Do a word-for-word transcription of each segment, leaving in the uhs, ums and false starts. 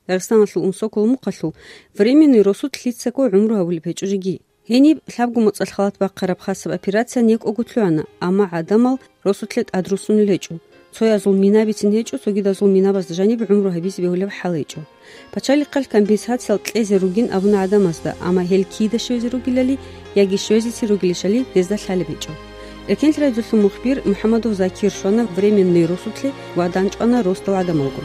Дагъистаналъул Унсокол мухъалъул временный росулъ лъицаго гӀумру гьабулеб гьечӀо жеги. Гьениб лъабго моцӀалъ халат бахъараб хасаб операция некӀого лъугӀана, амма гӀадамал росулъе тӀадрусунел гьечӀо. Цоязул мина бицин гьечӀо, цогидазул минабазда жаниб гӀумру гьабизе бегьулеб хӀал гьечӀо. Пачалихъалъ компенсациял кьезе ругин абуна гӀадамазда, амма гьел кида щвезе ругилали яги щвезеси ругилищали гьезда лъалеб гьечӀо. Эркенлъи радиолъул мухбир МухӀаммадов Закир щвана временный росулъе ва данчӀвана росдал гӀадамалго.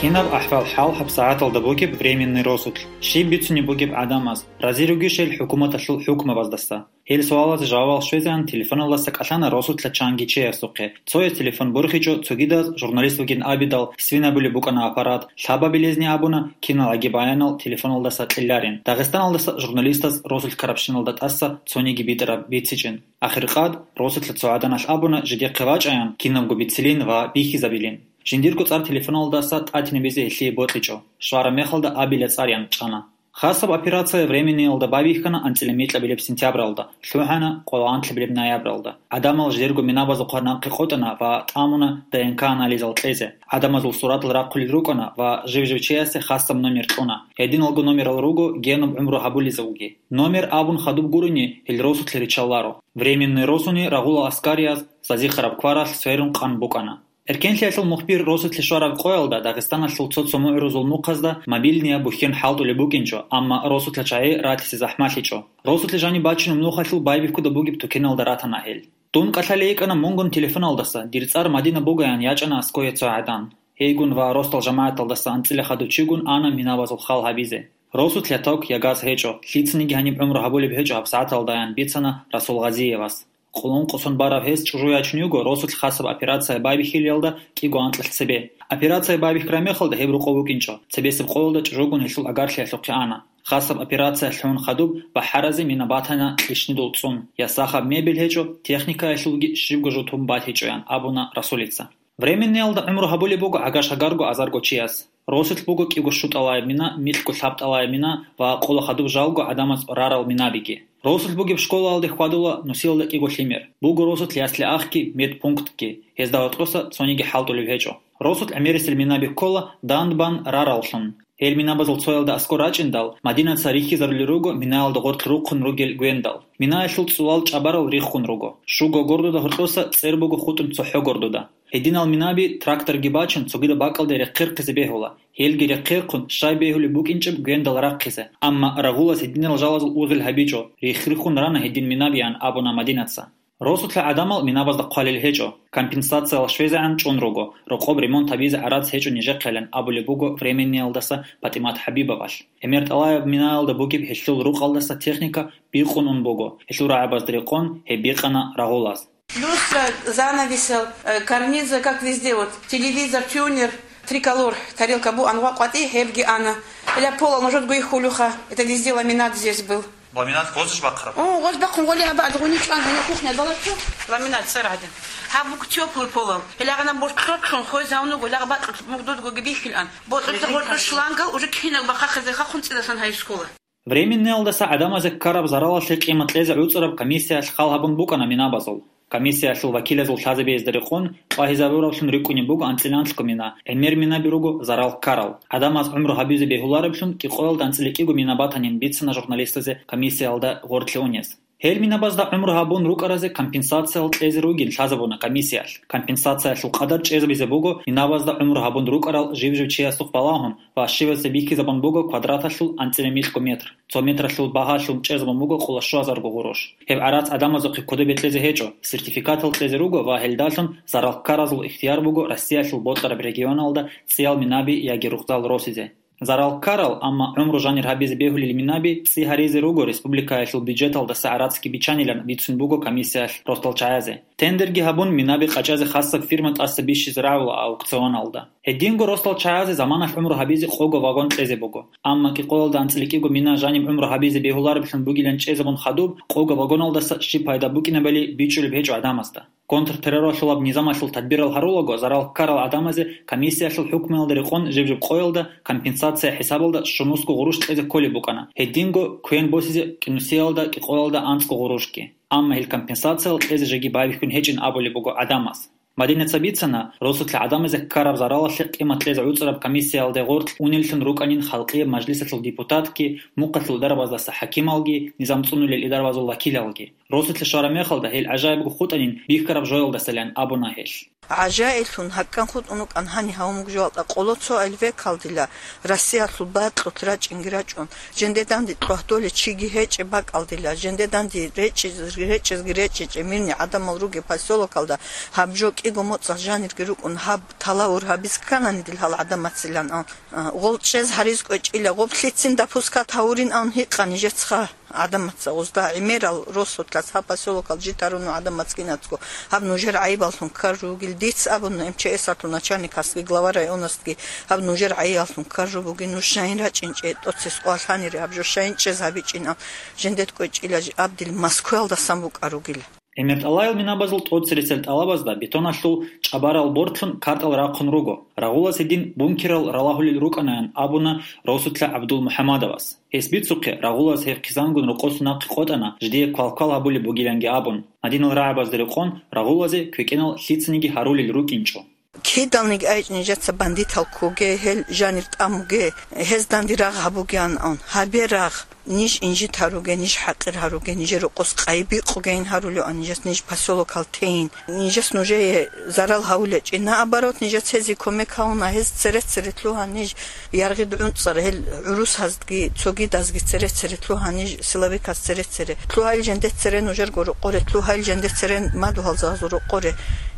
Кинаб ахӀвал-хӀал гьабсагӀаталда бугеб временный росулъ? Щиб бицунеб бугеб гӀадамаз? Рази ругищ гьел хӀукуматалъул хӀукмабаздаса? Гьел суалазе жавабал щвезегӀан телефоналдаса кӀалъана росулъа чанги чиясухъе. Цояс телефон борхичӀо, цогидаз журналист вугин абидал, свин абулеб букӀана аппарат, лъабабилезни абуна, киналги баянал телефоналдаса кьеларин. Дагъистаналдаса журналистаз росулъ ккарабщиналда тӀаса цониги битӀараб бицичӀин. Ахиркъад, росулъа цо гӀаданалъ абуна жидехъе вачӀаян, кинабго бицилин ва бихьизабилин. Жиндирго цӀар телефоналдаса тӀатинабизе гьелъие бокьичӀо. Щвараб мехалда абила цӀариян чӀана. Хасаб операция временныйалда байбихьана анцӀила микьабилеб сентябралда, лъугӀана къоло анлъабилеб ноябралда. ГӀадамал жидерго минабазухъа нахъе къотӀана ва тӀамуна Д Н К анализал кьезе. ГӀадамазул суратал рахъулел рукӀана ва жив-жив чиясе хасаб номер кьуна. Гьединалго номерал руго генуб гӀумру гьабулезулги. Номер абун хадуб гурони, гьел росулъе риччаларо. Временный росуни рагъула аскарияз зазихараб кваралъ сверун къан букӀана. Эркенлъиялъул мухбир росулъе щвараб къоялда Дагъистаналъул цо-цо мугӀрузул мухъазда мобильнияб бухьен хӀалтӀулеб букӀинчӀо, амма росулъа чагӀи ратизе захӀмалъичӀо. Росулъе жаниб бачунеб нухалъул байбихьуда бугеб тукеналда ратана гьел. Дун кӀалъалей йикӀана мунгун телефоналдаса, дир цӀар Мадина бугаян ячӀана аскоя цо гӀадан. Гьейгун ва росдал жамагӀаталдаса анцӀила хадув чигун ана минабазул хал гьабизе. Росулъа ток ягаз гьечӀо, лъицаниги гьаниб гӀумру гьабулеб гьечӀо гьабсагӀаталдаян бицана Расул Гъазиевас. Къулун-къусун бараб гьес чӀужу ячун йиго росулъ хасаб операция байбихьилиялда кӀиго анкьалъ цебе. Операция байбихьараб мехалда гьеб рокъов вукӀинчӀо, цебесеб къоялда чӀужугун гьелъул агарлъиялъухъе ана. Хасаб операция лъугӀун хадуб бахӀаразе мина батана кьишнидул цӀун, я сахаб мебель гьечӀо, техникаялъулги щибго жо тун батичӀоян абуна Расулица. Временниялда гӀумру гьабулеб буго гӀагар-шагарго азарго чияс. Росулъ буго кӀиго щутӀалаяб мина, микьго лъабтӀалаяб мина ва къоло хадуб жалго гӀадамаз рарал минабиги. Росулъ бугеб школаялде хьвадула нусиялда кӀиго лъимер. Буго росулъ ясли-ахги, медпунктги. Гьезда гьоркьоса цониги хӀалтӀулеб гьечӀо. Росулъ гӀемерисел минаби ккола дандбан рараллъун. Гьел минабазул цоялда аскӀор рачӀиндал, Мадинаца рихьизарулел руго минаялда гъоркь рухъун ругел гвендал. Минаялъул цӀулал чӀабарал риххун руго. Щуго гордуда гьоркьоса цӀер буго хутӀун цохӀо гордуда. Гьединал минаби тракторги бачун цогидаб бакӀалде рехъерхъизе бегьула. Гьелги рехъерхъун щай бегьулеб букӀинчӀеб гвендал рахъизе. Амма рагъулас гьединал жалазул узел гьабичӀо, рихх-риххун рана гьедин минабиян абуна Мадинаца. Росулъа гӀадамал минабазда хъвалел гьечӀо, компенсациял щвезегӀан чӀун руго, рокъоб ремонт гьабизе гӀарац гьечӀо нижехъелан абулеб буго временниялдаса ПатӀимат ХӀабибовалъ. ГӀемер тӀалаяб минаялда бугеб гьелъул рукъалдаса техника бикъун ун буго, гьелъул рагӀабазда рекъон гьеб бикъана рагъулаз. Люстра, занавесал, э, карниза, как везде, вот, телевизор, тюнер, триколор, тарелка бу, ангъва къватӀи, гьебги ана. Ила пола нужедго их хулюха, это везде ламинат здесь был. Ламинат гъозиш бахъараб? О, гъоз бахъун гъоли гьаба адгъуни чӀван, гьанив кухня балагьчо. Ламинат царгӀадин. Гьаб бук тёплый полал. Ила гъана борцӀцӀун хвезавнуго, ила гъабатӀ мугъдудго гибихьилан. БорцӀцӀа гъоркьо шлангал уже кинаб бахъахъизе хахун цӀидасан гьайскула. Временниялдаса гӀадамазе ккараб заралалъе къимат кьезе гӀуцӀараб комиссиялъ хал гьабун букӀана минабазул. Комиссиялъул вакилазул лъазабиязда рекъон, къвагьизабураблъун рикӀкӀунеб буго анцӀила анлъго мина, гӀемер минаби руго зарал ккарал. ГӀадамаз гӀумру гьабизе бегьулареблъун кӀикъоялда анцӀила кӀиго мина батанин бицана журналистазе комиссиялда гъорлъе унес. Гьел минабазда гӀумру гьабун рукӀаразе компенсациял кьезе ругин лъазабуна комиссиялъ. Компенсациялъул къадар чӀезабизе буго минабазда гӀумру гьабун рукӀарал жив-жив чиясухъ балагьун ва щивазе бихьизабун буго квадраталъул анцӀила микьго метр. Цо метралъул багьалъун чӀезабун буго къоло щуазарго гъурущ. Гьеб гӀарац гӀадамазухъе кодобе кьезе гьечӀо, сертификатал кьезе руго ва гьелдалъун зарал ккаразул ихтияр буго Россиялъул бокьараб регионалда цӀиял минаби яги рукъзал росизе. Зарал ккарал, амма гӀумру жанир гьабизе бегьулел минаби цӀи гьаризе руго республикаялъул бюджеталдаса гӀарацги биччанилан бицун буго комиссиялъ росдал чагӀазе. Тендерги гьабун, минаби къачӀазе хасаб фирма тӀаса бищизе рагӀула аукционалда. Гьединго росдал чагӀазе заманалъ гӀумру гьабизе къого вагон кьезе буго. Амма кӀикъоялда анцӀила кӀиго мина жаниб гӀумру гьабизе бегьуларевлъун бугилан чӀезабун хадуб, къого вагоналдаса щиб пайда букӀинабали бичӀчӀулеб гьечӀо гӀадамазда. Контртерроралъулаб низамалъул тадбирал гьарулаго, зарал ккарал гӀадамазе комиссиялъул хӀукмуялда рекъон жиб-жиб къоялда компенсация хӀисабалда щунусго гъурущ кьезе кколеб букӀана, гьединго квен босизе кӀинусиялда кӀикъоялда анцӀго гъурущги. Амма гьел компенсациял кьезе жеги байбихьун гьечӀин абулеб буго гӀадамаз. Мадинаца бицана, росулъа гӀадамазе ккараб заралалъе къимат кьезе гӀуцӀараб комиссиялде гъоркь унеллъун рукӀанин халкъияб мажлисалъул депутатги, мухъалъул дарабаздаса хӀакималги, низам цӀунулел идарабазул вакилалги. Росулъа щвараб мехалда гьел гӀажаибго хутӀанин бихьараб жоялдасалин абуна гьел. ГӀажаиблъун гьаккан хутӀун вукӀан гьани гьавмуг жоялда къоло цо эльвекалдила Россиялъул бакьулъ рачӀинги рачӀун, жинде данде кьвагьдолей чиги гьечӀеб бакӀалдила, жинде данде речӀиз-, речӀезги речӀичӀеб мирный гӀадамал ругеб поселокалда гьаб жо кӀиго моцӀалъ жанирги рукӀун гьаб талавур гьабиз кканани дил гьал гӀадамацилан ан, а, гъол чӀез гьариз кӀвечӀила, гъоб лъицин допускат гьавурин ан гьикъа нижецха. ГӀадамаца гъозда гӀемерал росулъас гьаб поселокал житаруну гӀадамацгинацго гьаб нужер гӀайибаллъун ккар ругел. Диц абуна МЧС-алъул начальникасги глава районасги гьаб нужер гӀайибаллъун ккар жо бугин, нуж шайин рачӀинчӀе, тӀоцес къвалъанире гьаб жо шайин чӀез гьабичӀин ан, жендет кӀвечӀила абдил Москваялдасан букӀар ругила. ГӀемертӀалаял минабазул тӀоцересел тӀалабазда бетоналъул чӀабарал бортлъун картӀал рахъун руго. Рагъулаз гьедин бункерал ралагьулел рукӀанаян абуна росулъа ГӀабдул-МухӀаммадовас. Гьес бицухъе, рагъулаз гьеб хъизангун рокъоса нахъе къотӀана, жидее квалквал гьабулеб бугиланги абун. Гьадинал рагӀабазда рекъон рагъулазе квекӀенал лъицаниги гьарулел рукӀинчӀо. Кидалниги айчӀ нижеца бандитал ккоге, гьел жанир тӀамуге, гьезданди рагъ гьабугеан ан. Гьабе рагъ, ниж инжит гьаруге, ниж хӀакъир гьаруге, нижер рокъос къайи бикъугейин гьарулеан нижес, ниж поселокал тейин. Нижес нужее зарал гьавулечӀи. Наоборот, нижес гьезие кумек гьавуна, гьез цере-цере лъугьа ниж, яргъид гӀунцӀар, гьел гӀурусазги цогидазги цере-цере лъугьа ниж, силовиказ цере-цере. Лъугьайил жендет цере нужерго рокъоре, лъугьайил жендет цере мадугьалзазул рокъоре.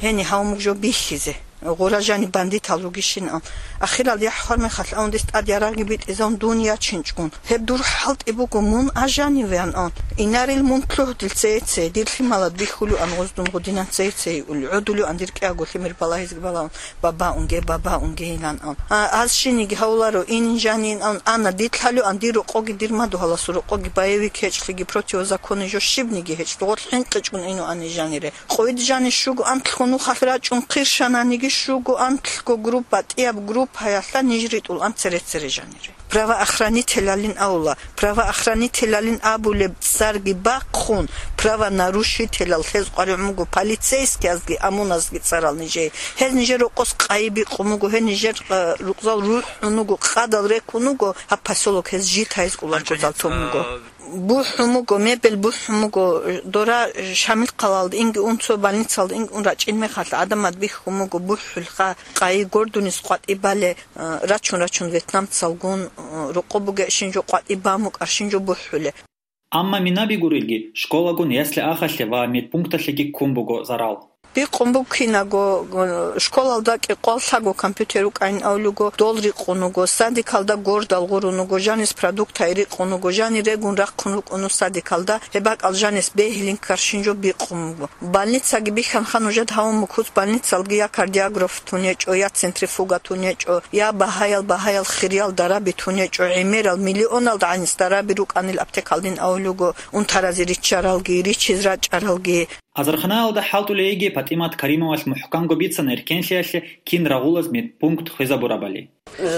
Гьени гьавмуг жо бихьизе. Гъура жани бандитал ругищин ан. Ахирал яхӀ хвар мехалъ ан дис тӀад ярагъги битӀизавун дун ячинчӀун. Гьеб дур хӀалтӀи буго мун а жанивеан ан. Инарил мун лъугьдил цее-цее, дир лъималад бихьулеан гъоздун гъудинан цее-цее иул, гӀодулеан дир кӀиаго лъимер балагьизги балаун, баба унге, баба унгейилан ан. А, аз шиниги гьавларо, инин жанин ан, ана дид лъалеан дир рокъоги, дир мадугьаласул рокъоги, боевик гьечӀлъиги, противозаконный жо щибниги гьечӀ, гъорлъ хӀинкъичӀун инуани жанире. Къойд жани щуго антлъго нухалъ рачӀун хъиршананиги, щуго антлъго группа, тӀияб группаялъа ниж ритӀул ан цере-цере жанире. Правоохранителалин авла, правоохранителалин абулеб цӀарги бахъун, правонарушителал гьез къваригӀун буго, полицейскиязги ОМОНазги цӀарал нижее. Гьез нижер рокъос къайи бикъун буго, гьез нижер, э, рукъзал рухӀун вуго, къадал рекун вуго, гьаб поселок гьез житайз кӀуланчӀодал тун буго. БухӀун буго, мебел бухӀун буго, дора Шамил хъалалда инги ун, цо больницалда инги ун рачӀин мехалъ гӀадамад бихьун буго, бухӀулха, къайи гордунис къватӀибале, а, рачун-рачун вьетнамцалгун, а, рокъо бугещин жо къватӀибан букӀарщин жо бухӀуле. Амма минаби гурелги, школагун ясли-ахалъе ва медпункталъеги ккун буго зарал. Бикъун буго кинаго, э, школалда кӀикъвал лъаго компьютер рукӀайин авлуго, дол рикъун вуго, садикалда гордал гъурун вуго, жанис продуктай рикъун вуго, жани регун рахъун рукӀун вуго садикалда, гьеб бакӀал жанис бегьилин каршин жо бикъун вуго. Больницаги бихьанха нужед гьавун мукуц, больницалги я кардиограф тун гьечӀо, я центрифуга тун гьечӀо, я багьаял-багьаял хириял дараби тун гьечӀо, гӀемерал миллионал гӀанис дараби рукӀанил аптекалдин авлуго, унтаразе риччаралги, риччиз рачӀаралги. Азарханаялда хӀалтӀулей йиги ПатӀимат Каримовалъ мухӀканго бицана эркенлъиялъе кин рагъулаз медпункт хвезабурабали.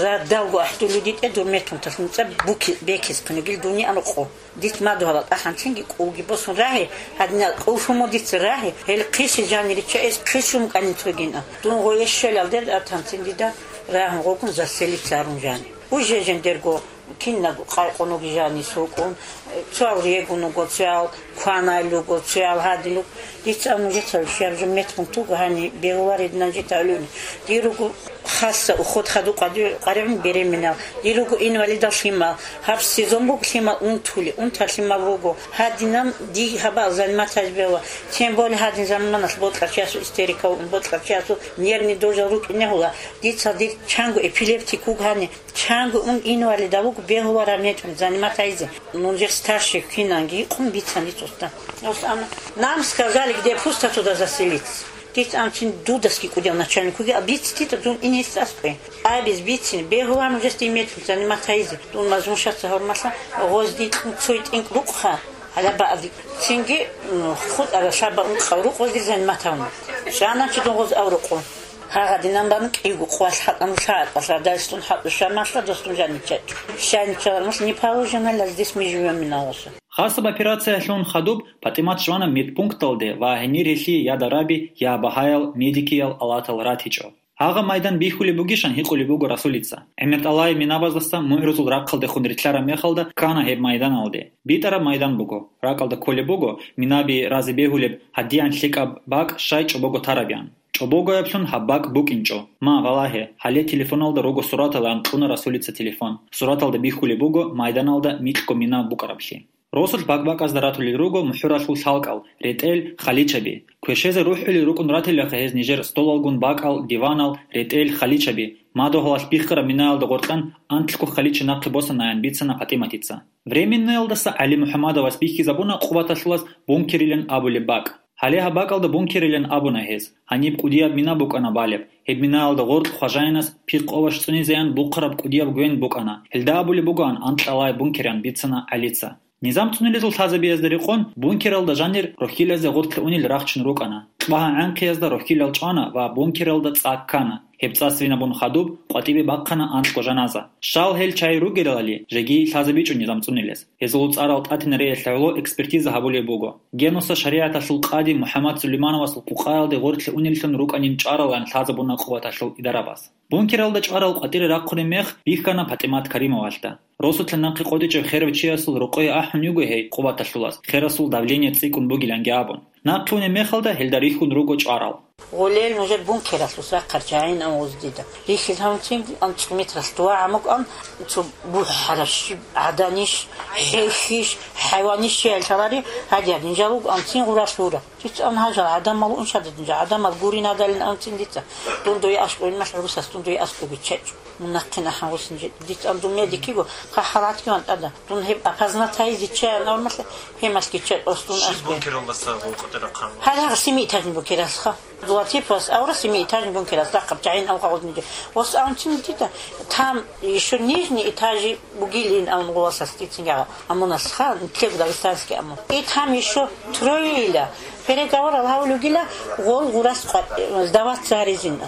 Радалго ахӀдулуди тӀе дур метрунталъ нуцӀа буки-, бекес кунигил дуни анукъо. Дит мадугьала тӀаханцинги кӀулги босун рагьи, гьадинал кӀулшумо дица рагьи, гьел хъиси жанири чаэс хъисун кӀанин цогина. Дун гъое щвелалде атанцин дида рагьун гъогун заселица арун жани. Уже жендерго Кинаб къайкъун вугижани сукӀун, цоял регун вуго, цоял кванал руго, цоял гьадин руго. Дица нужеца щибаб жо метмун туго гьани бегьуларед нажи тавлуни. Дир руго хасса уход хадуб къади-, къаригӀун беременал. Дир руго инвалидал лъимал. Гьаб сезон буго лъимал унтули, унтар лъимал руго. Гьадинаб дий гьабал заниматаз бегьула. Тем более гьадин заманалъ бокьарчиясул истерика вукӀун, бокьарчиясул нервный дрожжал рукӀине гьула. Дица дир чанго эпилептик вуго гьани. Чанго ун инвалидал вуго, бегьулараб нечӀун заниматайзе. Нужер старший кинанги къун бицани цоцӀда. Нам сказали, где пусто, туда заселиться. Дица анцин дудасги кӀудиял начальникуги, а бицитита дун инес аскӀве. Абиз бицин, бегьулар нужес дин мечӀун заниматайзе. Дун мазмушаца гьормалъа, гъозди кьун цой тӀинкӀ рукъха, гьала баъди. Цинги, м, хутӀара лъаба ункъав рукъ гъозди заниматавна. Чана чи дун гъоз аврукъун. Гьагъадинан бан кӀиго къвалъ хӀакъан лъагӀатӀалъ радалъун хӀакъу шамалъа досун жаничачӀо. Шайничалармалъ не положено лаздес ми живём миналоса. Хасаб операциялъун хадуб ПатӀимат чӀвана медпункталде ва гьенир гьелъие я дараби, я багьаял, медикиял алатал ратичӀо. Гьагъаб майдан бихьулеб бугищан гьикъулеб буго Расулица. ГӀемертӀалай минабаздаса мугӀрузул рахъалдехун рилълъараб мехалда ккана гьеб майданалде. БитӀараб майдан буго. РакӀалда кколеб буго, минаби разе бегьулеб гьадиян лъикӀаб бакӀ щай чӀобого тараб ян. ЧӀобогояблъун гьаб бакӀ букӀинчӀо. Ма, валагье, гьале телефоналда руго суратал, ан кьуна Расулица телефон. Сураталда бихьулеб буго майданалда микьго мина букӀараблъи. Росулъ бакӀ-бакӀазда ратулел руго мухӀуралъул лъалкӀал, ретӀел, халичаби. Квешезе рухӀулел рукӀун ратилаха гьез нижер столалгун бакӀал, диванал, ретӀел, халичаби. Мадугьалалъ биххараб минаялда гъоркьан анлъго халича нахъе босанаян бицана ПатӀиматица. Временноялдаса ГӀали МухӀамадовас бихьизабуна Къубаталъулас бункерилан абулеб бакӀ. Гьале гьаб бакӀалда бункерилан абуна гьез. Гьаниб кӀудияб мина букӀана балеб. Гьеб минаялда гъоркь хважаинас пихъ овощ цӀунизеян бухъараб кӀудияб гвен букӀана. Гьелда абулеб бугоан анкьалай бункерян бицана ГӀалица. Низам цӀунилезул лъазабиязда рекъон бункералда жанир рохьилазе гъоркье унел рахчун рукӀана. КьвагьагӀанхъиязда рохьилал чӀвана ва бункералда цӀа ккана. Гьеб цӀа свинабун хадуб, къватӀибе бахъана анкьго жаназа. Щал гьел чагӀи ругелали, жеги лъазабичӀо низам цӀунилез. Гьезул цӀарал тӀатинареялъ гӀоло экспертиза гьабулеб буго. Генуса шаригӀаталъул къади МухӀаммад Сулеймановасул къукъаялде гъоркье унеллъун рукӀанин чӀваралан лъазабуна Къубаталъул идарабаз. Бункералда чӀварал къватӀире рахъунеб мех бихьана ПатӀимат Каримовалъда. Росулъа нахъе къотӀичӀеб херав чиясул рокъое ахӀун йиго гьей Къубаталъулас, херасул давление цӀикӀкӀун бугиланги абун. Нахъе унеб мехалда гьелда рихьун руго чӀварал. Гъолел нужер бункералъус рахъарчагӀин ан гъуздида. Рихьил гьавцин анцӀ метралъ дугӀа гӀамукӀан, цо бухӀараб щиб гӀаданищ, хӀехьищ, хӀайванищ чиял лъалари, гьадияб нижал вуго анцин гъуралъ гьура. Дица ан гьажал гӀадамал уншадат нижа, гӀадамал гурин гьадалин анцин дица. Дун дуе аскӀовин малъ гӀурусас, дун дуе аскӀовги чечӀ. Мун нахъе нахъан гъусин жи-, дица ан дун медикиго, хъахӀалатги ван тӀада. Дун гьеб опознать гьайизе чаян авмалъа, гьемалъги чечӀ, ос дун аскӀов. Бункералдаса гъов къотӀи рахъарал. Гьале гьагъа семиэтажный бункералъха. Златиповас авра семиэтажный бункерас рахъаб чагӀин алгъа гъудниги. Ос анцин дида, там ещё нижний этажи бугилин ан гъуласас дицин гьагъа. Амунас ха, нитлъего дагестанский амун. И там ещё троила. Переговорал гьавулугила, гъол гъурас къва-, сдаваться гьаризин.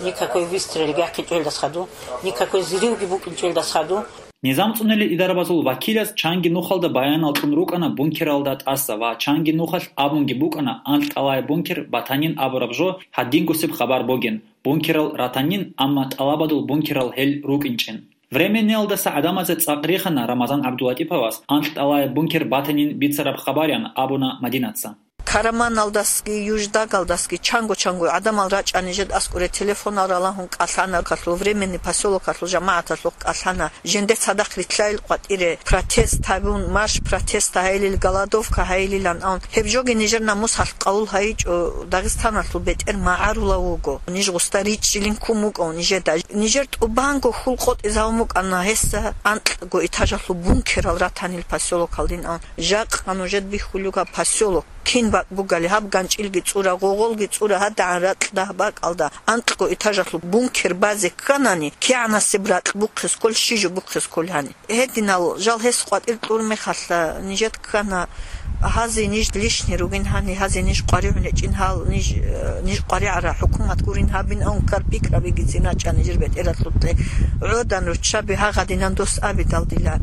Никакой выстрел гахъичӀелдас хаду, никакой взрывги букӀинчӀелдас хаду. Низам цӀунилел идарабазул вакилас чанги нухалда баянал кьун рукӀана бункералда тӀаса ва чанги нухалъ абунги букӀана, анкьалай бункер батанин абураб жо гьадингусеб хабар бугин, бункерал ратанин, амма тӀалабадул бункерал гьел рукӀинчӀин. Временниялдаса гӀадамазе цӀакъ рихана Рамазан ГӀабдулатӀиповас анкьалай бункер батанин бицараб хабарян абуна Мадинаца. Караманалдасги, Юждагалдасги чанго-чанго гӀадамал рачӀани жед аскӀуре телефонал ралагьун кӀалъана, калъул временный посёлокалъул жамагӀаталъухъ кӀалъана. Жинде цадахъ рилълъайил къватӀире протест гьабун, марш протеста гьайилил, голодовка гьайилилан ан. Гьеб жоги нижер намусалъ къавул гьайичӀо, Дагъистаналъул бетӀер магӀарулав вуго. Ниж гъуста ричӀчӀилин ккун вукӀав нижеда. Нижер тӀубанго хьул къотӀизавун букӀана гьесда анкьго этажалъул бункерал ратанил посёлокалдин ан. Жакъа нужед бихьулюга посёлок. Кин бакӀ бугали, гьаб ганчӀилги цӀура, гъогъолги цӀура, гьадагӀан ракь дагь бакӀалда анкьго этажалъул бункер базе кканани, кигӀанасеб ракь бухъе скол, щи жо бухъе скол гьани. Гьединал жал гьес къватӀир кьур мехалъа, нижед ккана, гьазе ниж лишни ругин гьани, гьазе ниж къваригӀун гьечӀин гьал, ниж, э, ниж къваригӀара хӀукумат гурин гьабин, ан ккар пикрабигицин рачӀа нижер бетӀералъуб те. ГӀодан руччаби гьагъадинан дос абидал дила.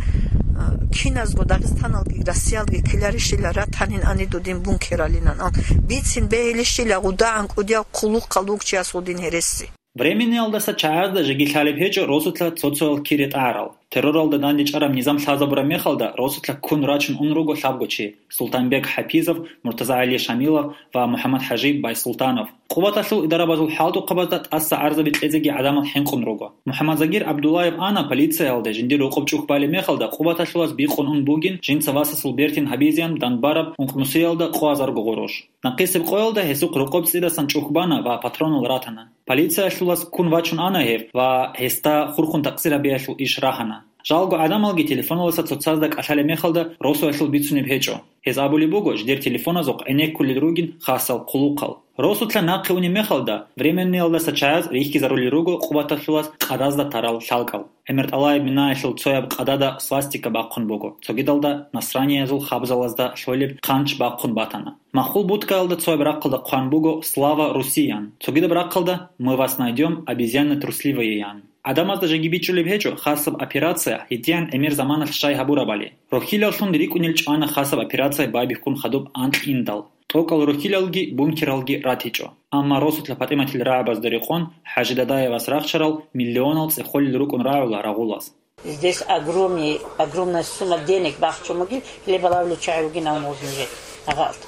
Киназго Дагъистаналги Россиялги ккеларищила ратанин ани дудин бункералинан ан. Бицин бегьилищила гъудагӀан кӀудияв хъулухъал вукчияс гъудин гьереси. Временниялдаса чагӀазда жеги лъалеб гьечӀо росулъа цо-цоял кири тӀагӀарал. Терроралда дандечӀараб низам лъазабураб мехалда росулъа ккун рачун ун руго лъабго чи. Султанбек ХӀапизов, МуртазагӀали Шамилов ва МухӀаммад-ХӀажи Байсултанов. Къуваталъул идарабазул хӀалтӀухъабазда тӀаса гӀарзаби кьезеги гӀадамал хӀинкъун руго. МухӀаммадзагир ГӀабдуллаев ана полициялде жиндир рокъоб чӀухь балеб мехалда, Къуваталъулаз бикъун ун бугин жинца васасул бертин гьабизеян данбараб ункънусиялда къо азарго гъурущ. Нахъисеб къоялда гьесухъ рокъоб цӀидасан чӀухь бана ва патронал ратана. Полициялъулаз ккун вачун ана гьев ва гьесда хурхун такъсир гьабиялъул иш рагьана. Жалго гӀадамалги телефоналдаса цоцазда кӀалъалеб мехалда росулъул бицунеб гьечӀо. Гьез абулеб буго, жидер телефоназухъ гӀенеккулел ругин хасал хъулухъал. Росулъа нахъе унеб мехалда, временниялдаса чагӀаз рихьизарулел руго Къуваталъулаз къадазда тарал лъалкӀал. ГӀемертӀалаяб минаялъул цояб къадада свастика бахъун буго, цогидалда насраниязул хабзалазда лъолеб хъанч бахъун батана. Махул будкаялда цояб рахъалда хъван буго «Слава Руси» ян, цогидаб рахъалда «Мы вас найдём, обезьяны трусливые» ян. ГӀадамазда жеги бичӀчӀулеб гьечӀо хасаб операция гьедигӀан гӀемер заманалъ щай гьабурабали. Рохьилаллъун рикӀкӀунел чӀвана хасаб операция байбихьун хадуб анкь индал. ТӀокӀал рохьилалги бункералги ратичӀо. Амма росулъа ПатӀиматил рагӀабазда рекъон ХӀажи Дадаевас рахчарал миллионал цӀехолел рукӀун рагӀула рагъулаз. Здесь огромный, огромная сумма денег бахчу мугил, хлеболовлю чай угин а можно же. Агъалт.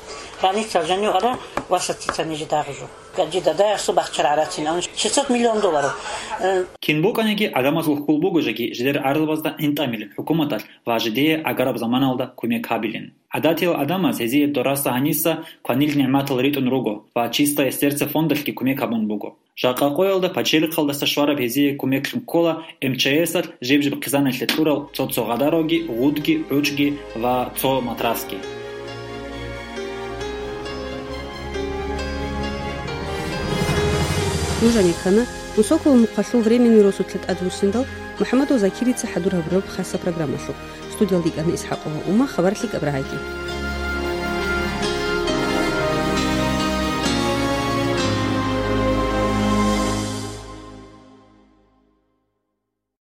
Граница жаню ара, ваша цица ниже дагъжу. Гаджи Дадаевсу бахчара арацин, он шестьсот миллион долларов. Э, Кин букӀаниги, гӀадамазул хьул буго жеги жидер гӀарзабазда гӀинтӀамилин хӀукуматалъ ва жидее гӀагараб заманалда кумек гьабилин. ГӀадатиял гӀадамаз гьезие дораса гьаниса кванил нигӀматал ритӀун руго ва «Чистое сердце» фондалъги кумек гьабун буго. Жакъа къоялда пачелихъалдаса щвараб гьезие кумеклъун ккола МЧС-алъ жиб-жиб хъизаналъе кьурал цо-цо гъадаравги, гъудги, гӀучӀги ва цо матрасги. Нуж гьанир ккана Мусоколо мухъалъул временный росулъа тӀадвуссиндал МухӀамадов Закирица хӀадур гьабураб хасаб программалъухъ. Студиялда йикӀана ИсхӀакъова Ума, хабар лъикӀаб рагӀайги.